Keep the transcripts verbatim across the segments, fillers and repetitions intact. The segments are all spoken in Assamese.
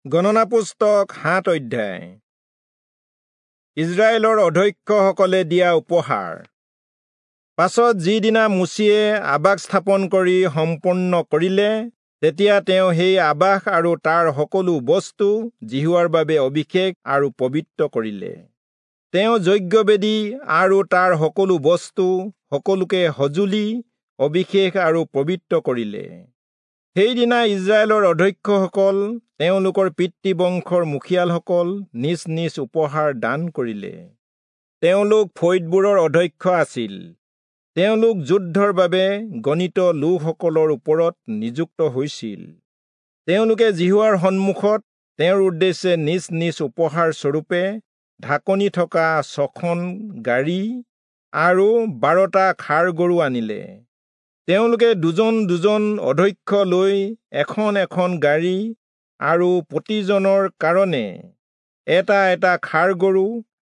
গণনা পুস্তক সাত অধ্যায়। ইজৰাইলৰ অধ্যক্ষসকলে দিয়া উপহাৰ। পাছত যিদিনা মোচিয়ে আবাস স্থাপন কৰি সম্পূৰ্ণ কৰিলে, তেতিয়া তেওঁ সেই আবাস আৰু তাৰ সকলো বস্তু যিহোৱাৰ বাবে অভিষেক আৰু পবিত্ৰ কৰিলে। তেওঁ যজ্ঞবেদী আৰু তাৰ সকলো বস্তু সকলোকে সঁজুলি অভিষেক আৰু পবিত্ৰ কৰিলে। সেইদিনা ইজৰাইলৰ অধ্যক্ষসকল তেওঁলোকৰ পিতৃবংশৰ মুখিয়ালসকল নিজ নিজ উপহাৰ দান কৰিলে। তেওঁলোক ফৈদবোৰৰ অধ্যক্ষ আছিল। তেওঁলোক যুদ্ধৰ বাবে গণিত লোকসকলৰ ওপৰত নিযুক্ত হৈছিল। তেওঁলোকে যিহোৱাৰ সন্মুখত তেওঁৰ উদ্দেশ্যে নিজ নিজ উপহাৰ স্বৰূপে ঢাকনি থকা ছখন গাড়ী আৰু বাৰটা ষাঁড় গৰু আনিলে। তেওঁলোকে দুজন দুজন অধ্যক্ষ লৈ এখন এখন গাড়ী আৰু প্ৰতিজনৰ কাৰণে এটা এটা ষাঁড় গৰু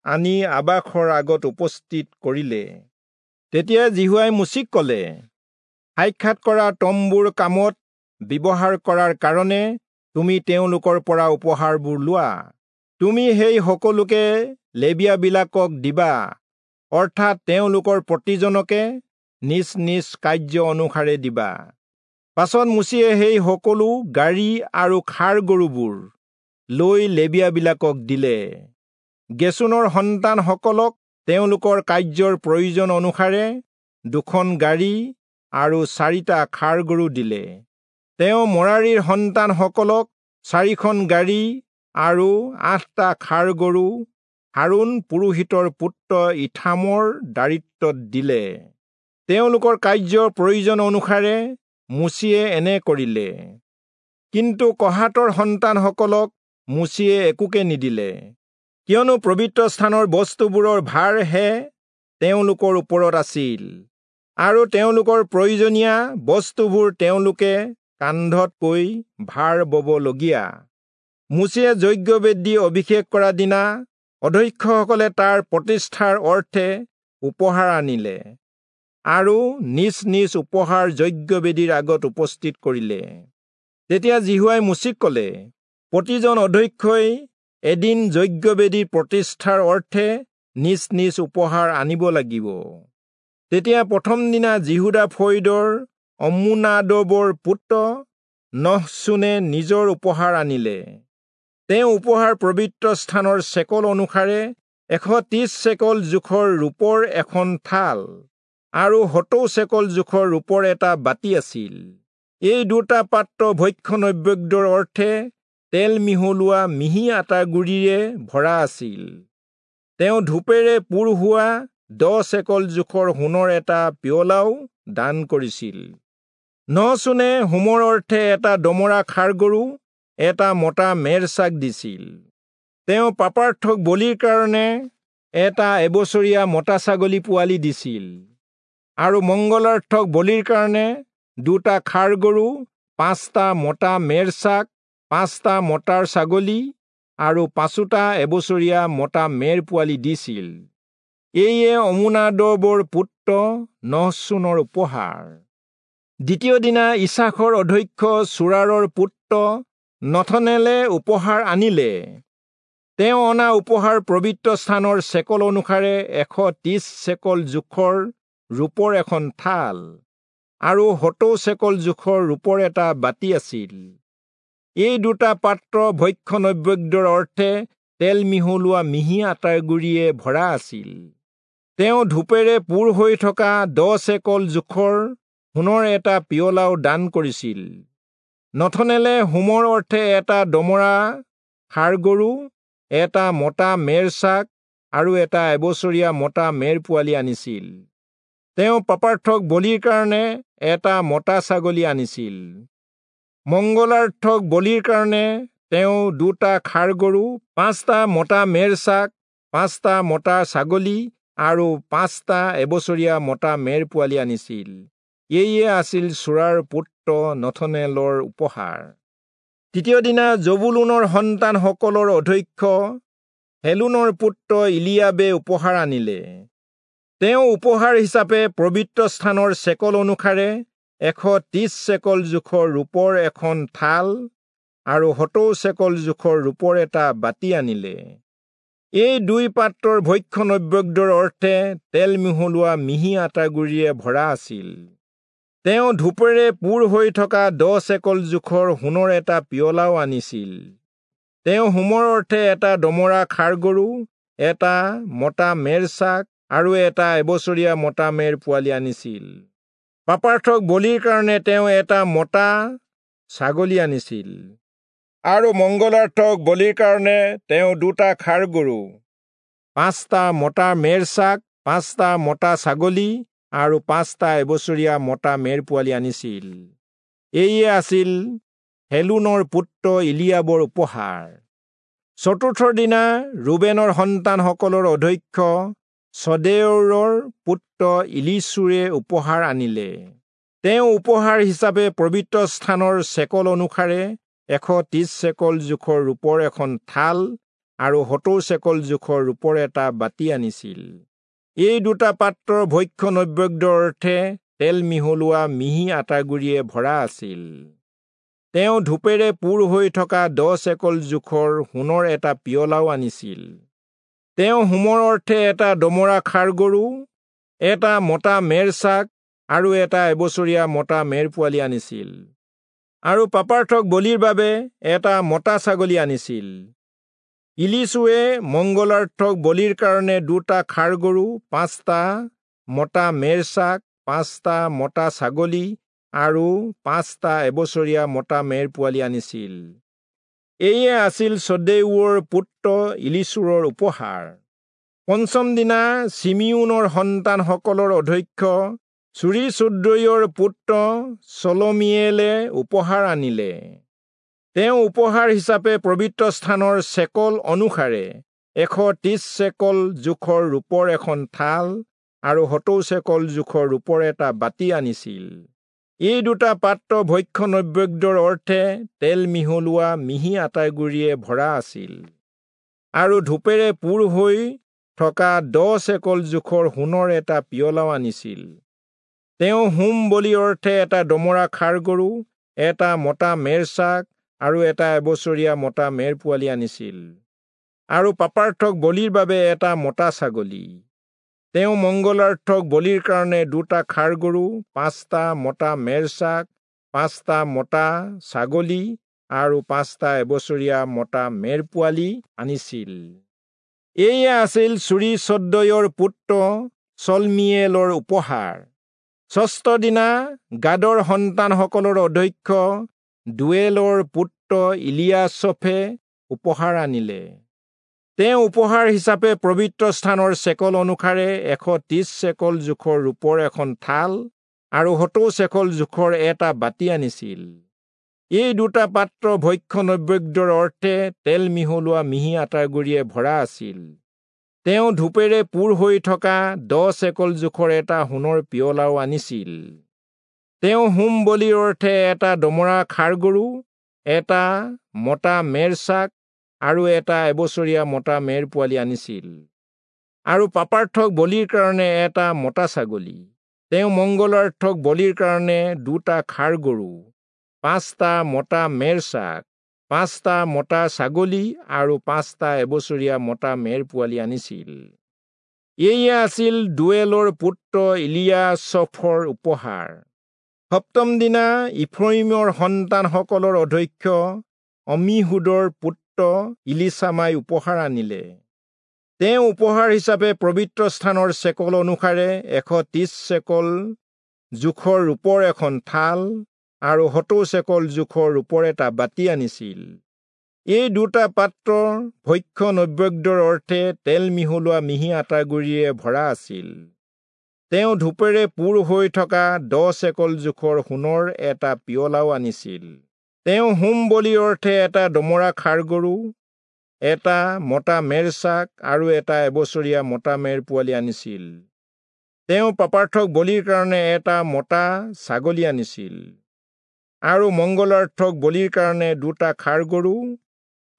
আনি আবাসৰ আগত উপস্থিত কৰিলে। তেতিয়া যিহোৱাই মোচিক কলে, সাক্ষাৎ কৰা তম্বুৰ কামত ব্যৱহাৰ কৰাৰ কাৰণে তুমি তেওঁলোকৰ পৰা উপহাৰবোৰ লোৱা। তুমি সেই সকলোকে লেবীয়াবিলাকক দিবা, অৰ্থাৎ তেওঁলোকৰ প্ৰতিজনকে নিজ নিজ কাৰ্য অনুসাৰে দিবা। পাছত মোচিয়ে সেই সকলো গাড়ী আৰু ষাঁড় গৰুবোৰ লৈ লেবীয়াবিলাকক দিলে। গেচোনৰ সন্তানসকলক তেওঁলোকৰ কাৰ্যৰ প্ৰয়োজন অনুসাৰে দুখন গাড়ী আৰু চাৰিটা ষাঁড় গৰু দিলে। তেওঁ মৰাৰীৰ সন্তানসকলক চাৰিখন গাড়ী আৰু আঠটা ষাঁড় গৰু হাৰোণ পুৰোহিতৰ পুত্ৰ ইথামৰ দায়িত্বত দিলে। তেওঁলোকৰ কাৰ্যৰ প্ৰয়োজন অনুসাৰে মোচিয়ে এনে কৰিলে। কিন্তু কহাতৰ সন্তানসকলক মোচিয়ে একোকে নিদিলে, কিয়নো পবিত্ৰ স্থানৰ বস্তুবোৰৰ ভাৰহে তেওঁলোকৰ ওপৰত আছিল আৰু তেওঁলোকৰ প্ৰয়োজনীয় বস্তুবোৰ তেওঁলোকে কান্ধতকৈ ভাৰ ববলগীয়া। মোচিয়ে যজ্ঞবেদী অভিষেক কৰা দিনা অধ্যক্ষসকলে তাৰ প্ৰতিষ্ঠাৰ অৰ্থে উপহাৰ আনিলে আৰু নিজ নিজ উপহাৰ যজ্ঞবেদীৰ আগত উপস্থিত কৰিলে। তেতিয়া যিহোৱাই মোচিক কলে, প্ৰতিজন অধ্যক্ষই এদিন যজ্ঞবেদীৰ প্ৰতিষ্ঠাৰ অৰ্থে নিজ নিজ উপহাৰ আনিব লাগিব। তেতিয়া প্ৰথম দিনা যিহূদা ফৈদৰ অম্মুনাদবৰ পুত্ৰ নহচোনে নিজৰ উপহাৰ আনিলে। তেওঁ উপহাৰ পবিত্ৰ স্থানৰ চেকল অনুসাৰে এশ ত্ৰিশ চেকল জোখৰ ৰূপৰ এখন থাল আৰু সত্তৰ চেকল জোখৰ ৰূপৰ এটা বাতি আছিল। এই দুটা পাত্ৰ ভক্ষ্য নৈবেদ্যৰ অৰ্থে তেল মিহলোৱা মিহি আটাগুড়িৰে ভৰা আছিল। তেওঁ ধূপেৰে পূৰ হোৱা দহ চেকল জোখৰ সোণৰ এটা পিয়লাও দান কৰিছিল। নহচোনে হোমৰ অৰ্থে এটা দমৰা ষাঁড় গৰু, এটা মতা মেৰ ছাগ দিছিল। তেওঁ পাপাৰ্থক বলিৰ কাৰণে এটা এবছৰীয়া মতা ছাগলী পোৱালি দিছিল আৰু মংগলাৰ্থক বলিৰ কাৰণে দুটা ষাঁড় গৰু, পাঁচটা মতা মেৰ ছাগ, পাঁচটা মতাৰ ছাগলী আৰু পাঁচোটা এবছৰীয়া মতা মেৰ পোৱালি দিছিল। এইয়ে অম্মুনাদবৰ পুত্ৰ নহচোনৰ উপহাৰ। দ্বিতীয় দিনা ইচাখৰ অধ্যক্ষ চূৰাৰৰ পুত্ৰ নথনেলে উপহাৰ আনিলে। তেওঁ অনা উপহাৰ পবিত্ৰ স্থানৰ চেকল অনুসাৰে এশ ত্ৰিশ চেকল জোখৰ ৰূপৰ এখন থাল আৰু সত্তৰ চেকল জোখৰ ৰূপৰ এটা বাতি আছিল। এই দুটা পাত্ৰ ভক্ষ্য নৈবেদ্যৰ অৰ্থে তেল মিহলোৱা মিহি আটাগুড়িয়ে ভৰা আছিল। তেওঁ ধূপেৰে পূৰ হৈ থকা দহ চেকল জোখৰ সোণৰ এটা পিয়লাও দান কৰিছিল। নথনেলে হোমৰ অৰ্থে এটা দমৰা ষাঁড় গৰু, এটা মতা মেৰ ছাগ আৰু এটা এবছৰীয়া মতা মেৰ পোৱালি আনিছিল। তেওঁ পাপাৰ্থক বলিৰ কাৰণে এটা মতা ছাগলী আনিছিল। মংগলাৰ্থক বলিৰ কাৰণে তেওঁ দুটা ষাঁড় গৰু, পাঁচটা মতা মেৰ ছাগ, পাঁচটা মতা ছাগলী আৰু পাঁচটা এবছৰীয়া মতা মেৰ পোৱালি আনিছিল। এইয়ে আছিল চূৰাৰ পুত্ৰ নথনেলৰ উপহাৰ। তৃতীয় দিনা জবুলূনৰ সন্তানসকলৰ অধ্যক্ষ হেলোনৰ পুত্ৰ ইলিয়াবে উপহাৰ আনিলে। তেওঁ উপহাৰ হিচাপে পবিত্ৰ স্থানৰ চেকল অনুসাৰে এশ ত্ৰিশ চেকল জোখৰ ৰূপৰ এখন থাল আৰু সত্তৰ চেকল জোখৰ ৰূপৰ এটা বাতি আনিলে। এই দুই পাত্ৰৰ ভক্ষ্য নৈবেদ্যৰ অৰ্থে তেল মিহলোৱা মিহি আটাগুড়িৰে ভৰা আছিল। তেওঁ ধূপেৰে পূৰ হৈ থকা দহ চেকল জোখৰ সোণৰ এটা পিয়লাও আনিছিল। তেওঁ হোমৰ অৰ্থে এটা দমৰা ষাঁড় গৰু, এটা মতা মেৰছাক আৰু এটা এবছৰীয়া মতা মেৰ পোৱালি আনিছিল। পাপাৰ্থক বলিৰ কাৰণে তেওঁ এটা মতা ছাগলী আনিছিল আৰু মংগলাৰ্থক বলিৰ কাৰণে তেওঁ দুটা ষাঁড় গৰু, পাঁচটা মতা মেৰছাক, পাঁচটা মতা ছাগলী আৰু পাঁচটা এবছৰীয়া মতা মেৰ পোৱালি আনিছিল। এয়ে আছিল হেলোনৰ পুত্ৰ ইলিয়াবৰ উপহাৰ। চতুৰ্থ দিনা ৰুবেনৰ সন্তানসকলৰ অধ্যক্ষ চদেউৰৰ পুত্ৰ ইলিচুৰে উপহাৰ আনিলে। তেওঁ উপহাৰ হিচাপে পবিত্ৰ স্থানৰ চেকল অনুসাৰে এশ ত্ৰিশ চেকল জোখৰ ৰূপৰ এখন থাল আৰু সত্তৰ চেকল জোখৰ ৰূপৰ এটা বাতি আনিছিল। এই দুটা পাত্ৰৰ ভক্ষ্য নৈবেদ্যৰ অৰ্থে তেল মিহলোৱা মিহি আটাগুড়িয়ে ভৰা আছিল। তেওঁ ধূপেৰে পূৰ হৈ থকা দহ চেকল জোখৰ সোণৰ এটা পিয়লাও আনিছিল। তেওঁ হোমৰ অৰ্থে এটা দমৰা ষাঁড় গৰু, এটা মতা মেৰছাক আৰু এটা এবছৰীয়া মতা মেৰ পোৱালি আনিছিল আৰু পাপাৰ্থক বলিৰ বাবে এটা মতা ছাগলী আনিছিল। ইলিচুৱে মংগলাৰ্থক বলিৰ কাৰণে দুটা ষাঁড় গৰু, পাঁচটা মতা মেৰছাক, পাঁচটা মতা ছাগলী আৰু পাঁচটা এবছৰীয়া মতা মেৰ পোৱালি আনিছিল। এয়ে আছিল চদেউৰ পুত্ৰ ইলিচুৰৰ উপহাৰ। পঞ্চম দিনা চিমিউনৰ সন্তানসকলৰ অধ্যক্ষ চুৰীচুদ্ৰৈৰ পুত্ৰ চলমিয়েলে উপহাৰ আনিলে। তেওঁ উপহাৰ হিচাপে পবিত্ৰ স্থানৰ চেকল অনুসাৰে এশ ত্ৰিশ চেকল জোখৰ ৰূপৰ এখন থাল আৰু সত্তৰ চেকল জোখৰ ৰূপৰ এটা বাতি আনিছিল। এই দুটা পাত্ৰ ভক্ষ্য নৈবেদ্যৰ অৰ্থে তেল মিহলোৱা মিহি আটাগুড়িয়ে ভৰা আছিল আৰু ধূপেৰে পূৰ হৈ থকা দহ চেকল জোখৰ সোণৰ এটা পিয়লাও আনিছিল। তেওঁ হোম বলিৰ অৰ্থে এটা দমৰা ষাঁড় গৰু, এটা মতা মেৰছাক আৰু এটা এবছৰীয়া মতা মেৰ পোৱালি আনিছিল আৰু পাপাৰ্থক বলিৰ বাবে এটা মতা ছাগলী। তেওঁ মংগলাৰ্থক বলিৰ কাৰণে দুটা ষাঁড় গৰু, পাঁচটা মতা মেৰছাক, পাঁচটা মতা ছাগলী আৰু পাঁচটা এবছৰীয়া মতা মেৰ পোৱালি আনিছিল। এয়ে আছিল চুৰীচদ্দয়ৰ পুত্ৰ চলমিয়েলৰ উপহাৰ। ষষ্ঠ দিনা গাদৰ সন্তানসকলৰ অধ্যক্ষ দুৱেলৰ পুত্ৰ ইলিয়াচফে উপহাৰ আনিলে। তেওঁ উপহাৰ হিচাপে পবিত্ৰ স্থানৰ চেকল অনুসাৰে এশ ত্ৰিশ চেকল জোখৰ ৰূপৰ এখন থাল আৰু সত্তৰ চেকল জোখৰ এটা বাতি আনিছিল। এই দুটা পাত্ৰ ভক্ষ্য নৈবেদ্যৰ অৰ্থে তেল মিহলোৱা মিহি আটাগুড়িয়ে ভৰা আছিল। তেওঁ ধূপেৰে পূৰ হৈ থকা দহ চেকল জোখৰ এটা সোণৰ পিয়লাও আনিছিল। তেওঁ হোম বলিৰ অৰ্থে এটা দমৰা ষাঁড় গৰু, এটা মতা মেৰছাক আৰু এটা এবছৰীয়া মতা মেৰ পোৱালি আনিছিল আৰু পাপাৰ্থক বলিৰ কাৰণে এটা মতা ছাগলী। তেওঁ মংগলাৰ্থক বলিৰ কাৰণে দুটা ষাঁড় গৰু, পাঁচটা মতা মেৰছাক, পাঁচটা মতা ছাগলী আৰু পাঁচটা এবছৰীয়া মতা মেৰ পোৱালি আনিছিল। এয়ে আছিল দুৱেলৰ পুত্ৰ ইলিয়াচফৰ উপহাৰ। সপ্তম দিনা ইফ্ৰয়িমৰ সন্তানসকলৰ অধ্যক্ষ অমিহুদৰ পুত্ৰ ইলিচামাই উপহাৰ আনিলে। তেওঁ উপহাৰ হিচাপে পবিত্ৰ স্থানৰ চেকল অনুসাৰে এশ ত্ৰিশ চেকল জোখৰ ৰূপৰ এখন থাল আৰু সত্তৰ চেকল জোখৰ ৰূপৰ এটা বাতি আনিছিল। এই দুটা পাত্ৰ ভক্ষ্য নৈবেদ্যৰ অৰ্থে তেল মিহলোৱা মিহি আটাগুড়িৰে ভৰা আছিল। তেওঁ ধূপেৰে পূৰ হৈ থকা দহ চেকল জোখৰ সোণৰ এটা পিয়লাও আনিছিল। তেওঁ হোম বলিৰ অৰ্থে এটা দমৰা ষাঁড় গৰু, এটা মতা মেৰছাক আৰু এটা এবছৰীয়া মতা মেৰ পোৱালি আনিছিল। তেওঁ পাপাৰ্থক বলিৰ কাৰণে এটা মতা ছাগলী আনিছিল আৰু মংগলাৰ্থক বলিৰ কাৰণে দুটা ষাঁড় গৰু,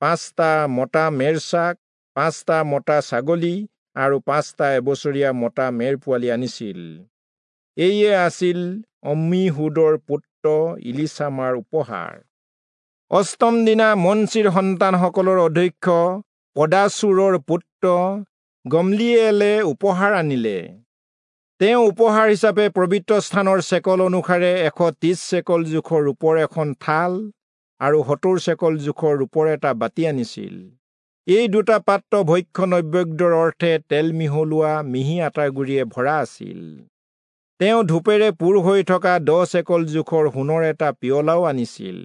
পাঁচটা মতা মেৰছাক, পাঁচটা মতা ছাগলী আৰু পাঁচটা এবছৰীয়া মতা মেৰ পোৱালি আনিছিল। এয়ে আছিল অম্মিহুদৰ পুত্ৰ ইলিচামাৰ উপহাৰ। অষ্টম দিনা মনচিৰ সন্তানসকলৰ অধ্যক্ষ পদাচুৰৰ পুত্ৰ গমলিয়েলে উপহাৰ আনিলে। তেওঁ উপহাৰ হিচাপে পবিত্ৰ স্থানৰ চেকল অনুসাৰে এশ ত্ৰিশ চেকল জোখৰ ৰূপৰ এখন থাল আৰু সত্তৰ চেকল জোখৰ ৰূপৰ এটা বাতি আনিছিল। এই দুটা পাত্ৰ ভক্ষ্য নৈবেদ্যৰ অৰ্থে তেল মিহলোৱা মিহি আটাৰ গুড়িয়ে ভৰা আছিল। তেওঁ ধূপেৰে পূৰ হৈ থকা দহ চেকল জোখৰ সোণৰ এটা পিয়লাও আনিছিল।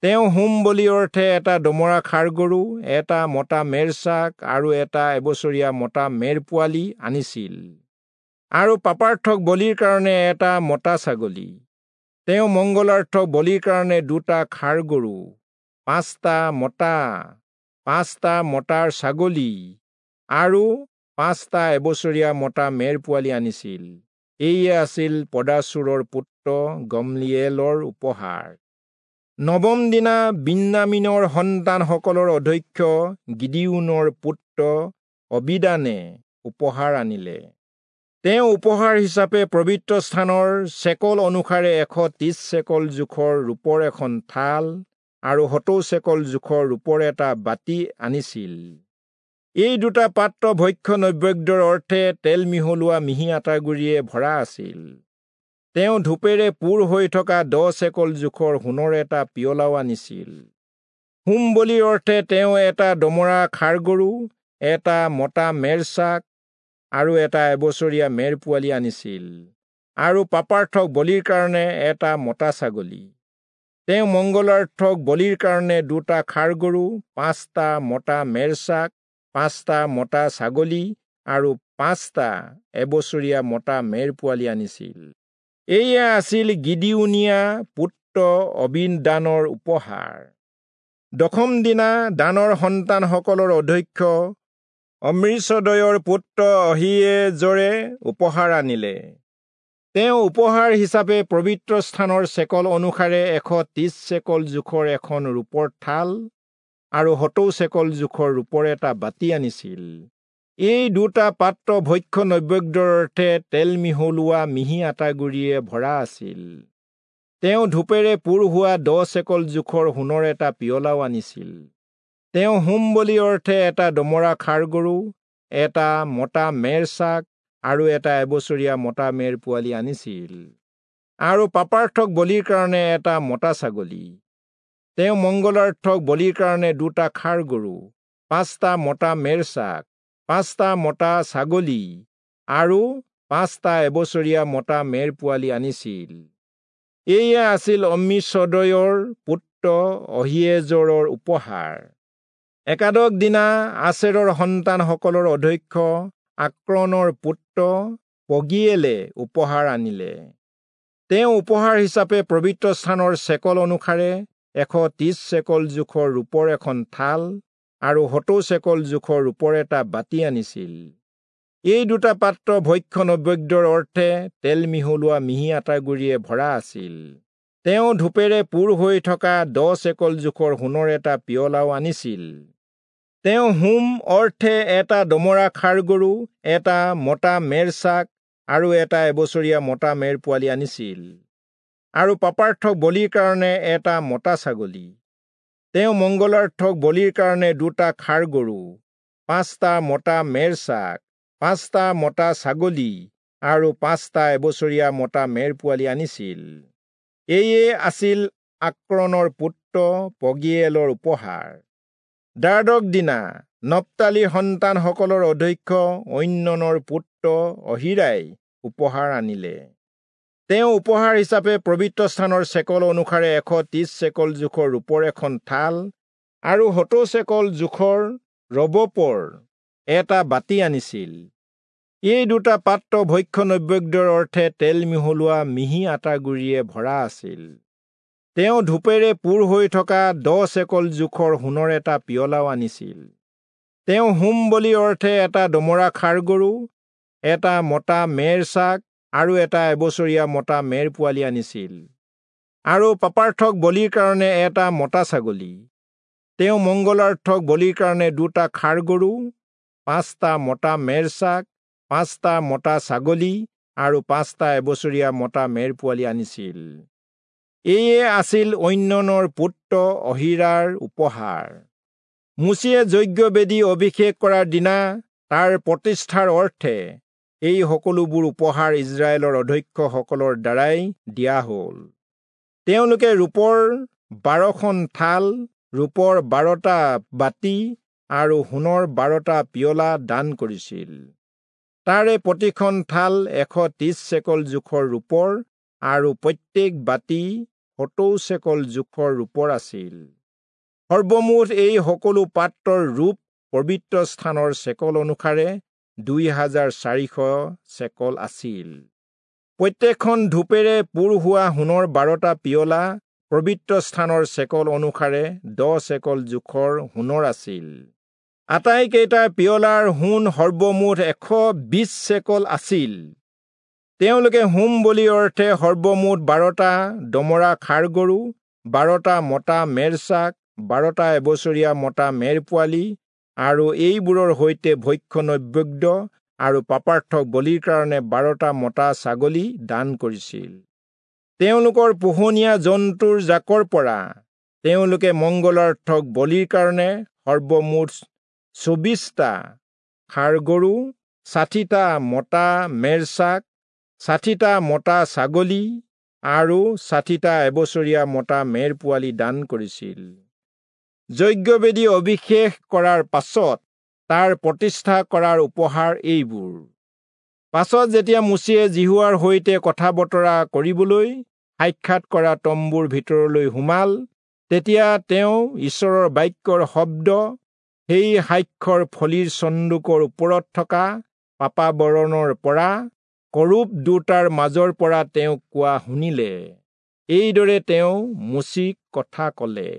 তেওঁ হোম বলিৰ অৰ্থে এটা দমৰা ষাঁড় গৰু, এটা মতা মেৰছাক আৰু এটা এবছৰীয়া মতা মেৰ পোৱালি আনিছিল আৰু পাপাৰ্থক বলিৰ কাৰণে এটা মতা ছাগলী। তেওঁ মংগলাৰ্থক বলিৰ কাৰণে দুটা ষাঁড় গৰু, পাঁচটা মতা পাঁচটা মতাৰ ছাগলী আৰু পাঁচটা এবছৰীয়া মতা মেৰ পোৱালি আনিছিল। এয়ে আছিল পদাচুৰৰ পুত্ৰ গমলিয়েলৰ উপহাৰ। নৱম দিনা বিন্যামীনৰ সন্তানসকলৰ অধ্যক্ষ গিদিয়োনৰ পুত্ৰ অবিদানে উপহাৰ আনিলে। তেওঁ উপহাৰ হিচাপে পবিত্ৰ স্থানৰ চেকল অনুসাৰে এশ ত্ৰিশ চেকল জোখৰ ৰূপৰ এখন থাল আৰু সত্তৰ চেকল জোখৰ ৰূপৰ এটা বাতি আনিছিল। এই দুটা পাত্ৰ ভক্ষ্য নৈবেদ্যৰ অৰ্থে তেল মিহলোৱা মিহি আটাৰ গুড়িয়ে ভৰা আছিল। তেওঁ ধূপেৰে পূৰ হৈ থকা দহ চেকল জোখৰ সোণৰ এটা পিয়লাও আনিছিল। হোম বলিৰ অৰ্থে তেওঁ এটা দমৰা ষাঁড় গৰু, এটা মতা মেৰছাক আৰু এটা এবছৰীয়া মেৰ পোৱালি আনিছিল আৰু পাপাৰ্থক বলিৰ কাৰণে এটা মতা ছাগলী। তেওঁ মংগলাৰ্থক বলিৰ কাৰণে দুটা ষাঁড় গৰু, পাঁচটা মতা মেৰছাক, পাঁচটা মতা ছাগলী আৰু পাঁচটা এবছৰীয়া মতা মেৰ পোৱালি আনিছিল। এয়া আছিল গিদিয়োনীয়া পুত্ৰ অবিদানৰ উপহাৰ। দশম দিনা দানৰ সন্তানসকলৰ অধ্যক্ষ অমৃচদয়ৰ পুত্ৰ অহীয়েজৰে উপহাৰ আনিলে। তেওঁ উপহাৰ হিচাপে পবিত্ৰ স্থানৰ চেকল অনুসাৰে এশ ত্ৰিশ চেকল জোখৰ এখন ৰূপৰ থাল আৰু সত্তৰ চেকল জোখৰ ৰূপৰ এটা বাতি আনিছিল। এই দুটা পাত্ৰ ভক্ষ্য নৈবেদ্যৰ অৰ্থে তেল মিহলোৱা মিহি আটাৰ গুড়িয়ে ভৰা আছিল। তেওঁ ধূপেৰে পূৰ হোৱা দহ চেকল জোখৰ সোণৰ এটা পিয়লাও আনিছিল। তেওঁ হোম বলিৰ অৰ্থে এটা দমৰা ষাঁড় গৰু, এটা মতা মেৰছাক আৰু এটা এবছৰীয়া মতা মেৰ পোৱালি আনিছিল আৰু পাপাৰ্থক বলিৰ কাৰণে এটা মতা ছাগলী। তেওঁ মংগলাৰ্থক বলিৰ কাৰণে দুটা ষাঁড় গৰু, পাঁচটা মতা মেৰছাক, পাঁচটা মতা ছাগলী আৰু পাঁচটা এবছৰীয়া মতা মেৰ পোৱালি আনিছিল। এয়া আছিল অমৃচদয়ৰ পুত্ৰ অহীয়েজৰৰ উপহাৰ। একাদশ দিনা আচেৰৰ সন্তানসকলৰ অধ্যক্ষ আক্ৰণৰ পুত্ৰ পগিয়েলে উপহাৰ আনিলে। তেওঁ উপহাৰ হিচাপে পবিত্ৰ স্থানৰ চেকল অনুসাৰে এশ ত্ৰিশ চেকল জোখৰ ৰূপৰ এখন থাল আৰু সত্তৰ চেকল জোখৰ ৰূপৰ এটা বাতি আনিছিল। এই দুটা পাত্ৰ ভক্ষ্য নৈবেদ্যৰ অৰ্থে তেল মিহলোৱা মিহি আটাৰ গুড়িয়ে ভৰা আছিল। তেওঁ ধূপেৰে পূৰ হৈ থকা দহ চেকল জোখৰ সোণৰ এটা পিয়লাও আনিছিল। তেওঁ হোম অৰ্থে এটা দমৰা ষাঁড় গৰু, এটা মতা মেৰছাক আৰু এটা এবছৰীয়া মতা মেৰ পোৱালি আনিছিল আৰু পাপাৰ্থক বলিৰ কাৰণে এটা মতা ছাগলী। তেওঁ মংগলাৰ্থক বলিৰ কাৰণে দুটা ষাঁড় গৰু, পাঁচটা মতা মেৰছাক, পাঁচটা মতা ছাগলী আৰু পাঁচটা এবছৰীয়া মতা মেৰ পোৱালি আনিছিল। এয়ে আছিল আক্ৰণৰ পুত্ৰ পগিয়েলৰ উপহাৰ। দ্বাদশ দিনা নপ্তালীৰ সন্তানসকলৰ অধ্যক্ষ ঐননৰ পুত্ৰ অহীৰাই উপহাৰ আনিলে। তেওঁ উপহাৰ হিচাপে পবিত্ৰ স্থানৰ চেকল অনুসাৰে এশ ত্ৰিশ চেকল জোখৰ ৰূপৰ এখন থাল আৰু সত্তৰ চেকল জোখৰ ৰবপৰ এটা বাতি আনিছিল। এই দুটা পাত্ৰ ভক্ষ্য নৈবেদ্যৰ অৰ্থে তেল মিহলোৱা মিহি আটাৰ গুড়িয়ে ভৰা আছিল। তেওঁ ধূপেৰে পূৰ হৈ থকা দহ চেকল জোখৰ সোণৰ এটা পিয়লাও আনিছিল। তেওঁ হোম বলিৰ অৰ্থে এটা দমৰা ষাঁড় গৰু, এটা মতা মেৰছাক আৰু এটা এবছৰীয়া মতা মেৰ পোৱালি আনিছিল আৰু পাপাৰ্থক বলিৰ কাৰণে এটা মতা ছাগলী। তেওঁ মংগলাৰ্থক বলিৰ কাৰণে দুটা ষাঁড় গৰু, পাঁচটা মতা মেৰছাক, পাঁচটা মতা ছাগলী আৰু পাঁচটা এবছৰীয়া মতা মেৰ পোৱালি আনিছিল। এয়ে আছিল ঐননৰ পুত্ৰ অহীৰাৰ উপহাৰ। মোচিয়ে যজ্ঞবেদী অভিষেক কৰাৰ দিনা তাৰ প্ৰতিষ্ঠাৰ অৰ্থে এই সকলোবোৰ উপহাৰ ইস্ৰায়েলৰ অধ্যক্ষসকলৰ দ্বাৰাই দিয়া হ'ল। তেওঁলোকে ৰূপৰ বাৰখন থাল, ৰূপৰ বাৰটা বাতি আৰু সোণৰ বাৰটা পিয়লা দান কৰিছিল। তাৰে প্ৰতিখন থাল এশ ত্ৰিশ চেকল জোখৰ ৰূপৰ আৰু প্ৰত্যেক বাতি সত্তৰ চেকল জোখৰ ৰূপৰ আছিল। সৰ্বমুঠ এই সকলো পাত্ৰৰ ৰূপ পবিত্ৰ স্থানৰ চেকল অনুসাৰে দুই হাজাৰ চাৰিশ চেকল আছিল। প্ৰত্যেকখন ধূপেৰে পূৰ হোৱা সোণৰ বাৰটা পিয়লা পবিত্ৰ স্থানৰ চেকল অনুসাৰে দহ চেকল জোখৰ সোণৰ আছিল। আটাইকেইটা পিয়লাৰ সোণ সৰ্বমুঠ এশ বিশ চেকল আছিল। তেওঁলোকে হোম বলিৰ অৰ্থে সৰ্বমুঠ বাৰটা দমৰা ষাঁড় গৰু, বাৰটা মতা মেৰচাক, বাৰটা এবছৰীয়া মতা মেৰ পোৱালি আৰু এইবোৰৰ সৈতে ভক্ষ্য নৈবেদ্য আৰু পাপাৰ্থক বলিৰ কাৰণে বাৰটা মতা ছাগলী দান কৰিছিল। তেওঁলোকৰ পোহনীয়া জন্তুৰ জাকৰ পৰা তেওঁলোকে মংগলাৰ্থক বলিৰ কাৰণে সৰ্বমুঠ চৌবিশটা ষাঁড় গৰু, ষাঠিটা মতা মেৰচাক, ষাঠিটা মতা ছাগলী আৰু ষাঠিটা এবছৰীয়া মতা মেৰ পোৱালি দান কৰিছিল। যজ্ঞবেদী অভিষেক কৰাৰ পাছত তাৰ প্ৰতিষ্ঠা কৰাৰ উপহাৰ এইবোৰ। পাছত যেতিয়া মোচিয়ে যিহোৱাৰ সৈতে কথা বতৰা কৰিবলৈ সাক্ষাৎ কৰা তম্বুৰ ভিতৰলৈ সোমাল, তেতিয়া তেওঁ ঈশ্বৰৰ বাক্যৰ শব্দ সেই সাক্ষ্যৰ ফলিৰ চন্দুকৰ ওপৰত থকা পাপাবৰণৰ পৰা কৰূব দুটাৰ মাজৰ পৰা তেওঁক কোৱা শুনিলে। এইদৰে তেওঁ মোচিক কথা ক'লে।